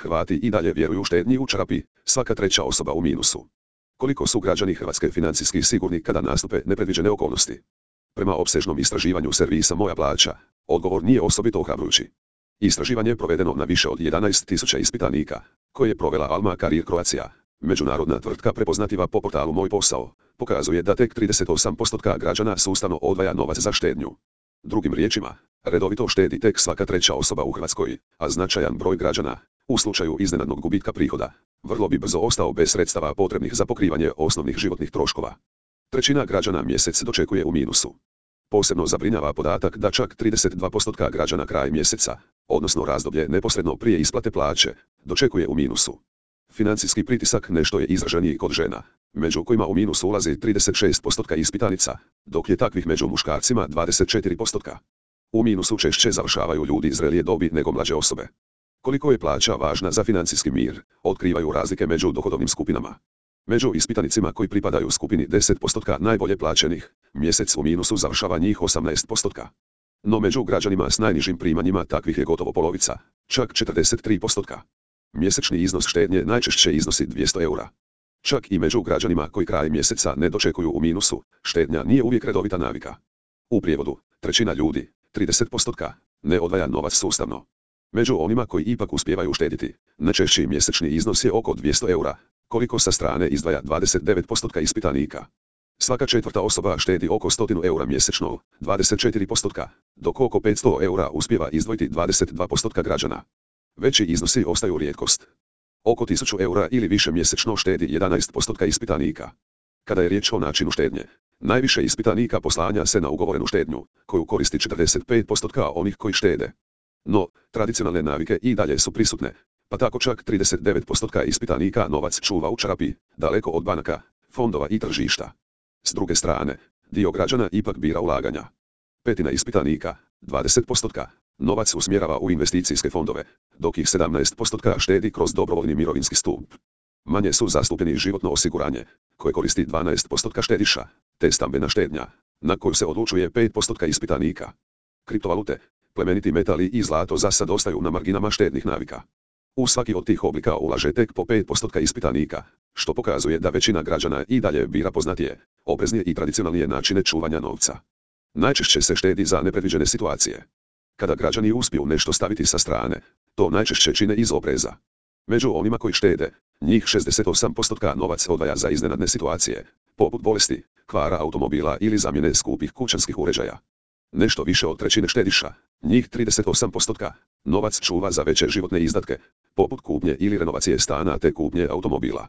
Hrvati i dalje vjeruju štednji u čarapi, svaka treća osoba u minusu. Koliko su građani Hrvatske financijski sigurni kada nastupe nepredviđene okolnosti? Prema opsežnom istraživanju servisa Moja plaća, odgovor nije osobito ohrabrujući. Istraživanje je provedeno na više od 11.000 ispitanika, koje je provela Alma Career Croatia, međunarodna tvrtka prepoznativa po portalu Moj posao, pokazuje da tek 38% građana sustavno odvaja novac za štednju. Drugim riječima, redovito štedi tek svaka treća osoba u Hrvatskoj, a značajan broj građana, u slučaju iznenadnog gubitka prihoda, vrlo bi brzo ostao bez sredstava potrebnih za pokrivanje osnovnih životnih troškova. Trećina građana mjesec dočekuje u minusu. Posebno zabrinjava podatak da čak 32% građana kraj mjeseca, odnosno razdoblje neposredno prije isplate plaće, dočekuje u minusu. Financijski pritisak nešto je izraženiji kod žena, među kojima u minus ulazi 36% ispitanica, dok je takvih među muškarcima 24%. U minusu češće završavaju ljudi zrelije dobi nego mlađe osobe. Koliko je plaća važna za financijski mir, otkrivaju razlike među dohodovnim skupinama. Među ispitanicima koji pripadaju skupini 10% najbolje plaćenih, mjesec u minusu završava njih 18%. No među građanima s najnižim primanjima takvih je gotovo polovica, čak 43%. Mjesečni iznos štednje najčešće iznosi 200 eura. Čak i među građanima koji kraj mjeseca ne dočekuju u minusu, štednja nije uvijek redovita navika. U prijevodu, trećina ljudi, 30%, ne odvaja novac sustavno. Među onima koji ipak uspijevaju štediti, najčešći mjesečni iznos je oko 200 eura, koliko sa strane izdvaja 29% ispitanika. Svaka četvrta osoba štedi oko 100 eura mjesečno, 24%, dok oko 500 eura uspijeva izdvojiti 22% građana. Veći iznosi ostaju rijetkost. Oko 1000 eura ili više mjesečno štedi 11% ispitanika. Kada je riječ o načinu štednje, najviše ispitanika poslanja se na ugovorenu štednju, koju koristi 45% onih koji štede. No, tradicionalne navike i dalje su prisutne, pa tako čak 39% ispitanika novac čuva u čarapi, daleko od banaka, fondova i tržišta. S druge strane, dio građana ipak bira ulaganja. Petina ispitanika, 20%, novac usmjerava u investicijske fondove, dok ih 17% štedi kroz dobrovoljni mirovinski stup. Manje su zastupljeni životno osiguranje, koje koristi 12% štediša, te stambena štednja, na koju se odlučuje 5% ispitanika. Kriptovalute, plemeniti metali i zlato zasad ostaju na marginama štednih navika. U svaki od tih oblika ulaže tek po 5% ispitanika, što pokazuje da većina građana i dalje bira poznatije, opreznije i tradicionalnije načine čuvanja novca. Najčešće se štedi za nepredviđene situacije. Kada građani uspiju nešto staviti sa strane, to najčešće čine iz opreza. Među onima koji štede, njih 68% novac odvaja za iznenadne situacije, poput bolesti, kvara automobila ili zamjene skupih kućanskih uređaja. Nešto više od trećine štediša, njih 38%, novac čuva za veće životne izdatke, poput kupnje ili renovacije stana te kupnje automobila.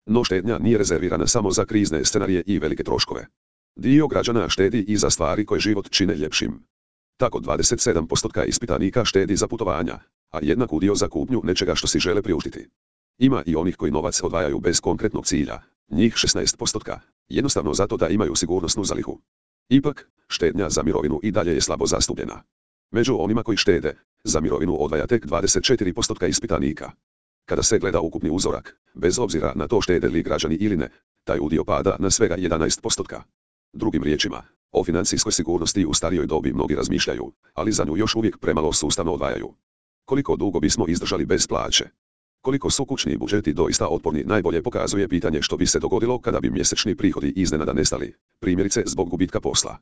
No štednja nije rezervirana samo za krizne scenarije i velike troškove. Dio građana štedi i za stvari koje život čine ljepšim. Tako 27% ispitanika štedi za putovanja, a jednak udio za kupnju nečega što si žele priuštiti. Ima i onih koji novac odvajaju bez konkretnog cilja, njih 16%, jednostavno zato da imaju sigurnosnu zalihu. Ipak, štednja za mirovinu i dalje je slabo zastupljena. Među onima koji štede, za mirovinu odvaja tek 24% ispitanika. Kada se gleda ukupni uzorak, bez obzira na to štede li građani ili ne, taj udio pada na svega 11%. Drugim riječima, o financijskoj sigurnosti u starijoj dobi mnogi razmišljaju, ali za nju još uvijek premalo sustavno odvajaju. Koliko dugo bismo izdržali bez plaće? Koliko su kućni budžeti doista otporni najbolje pokazuje pitanje što bi se dogodilo kada bi mjesečni prihodi iznenada nestali, primjerice zbog gubitka posla.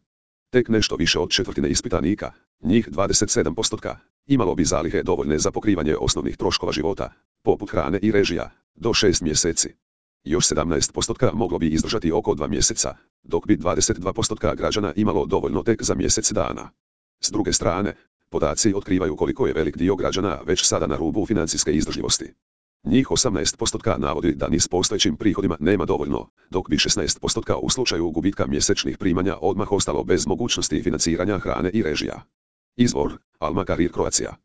Tek nešto više od četvrtine ispitanika, njih 27%, imalo bi zalihe dovoljne za pokrivanje osnovnih troškova života, poput hrane i režija, do 6 mjeseci. Još 17% moglo bi izdržati oko 2 mjeseca, dok bi 22% građana imalo dovoljno tek za mjesec dana. S druge strane, podaci otkrivaju koliko je velik dio građana već sada na rubu financijske izdržljivosti. Njih 18% navodi da ni s postojećim prihodima nema dovoljno, dok bi 16% u slučaju gubitka mjesečnih primanja odmah ostalo bez mogućnosti financiranja hrane i režija. Izvor, Alma Career Croatia.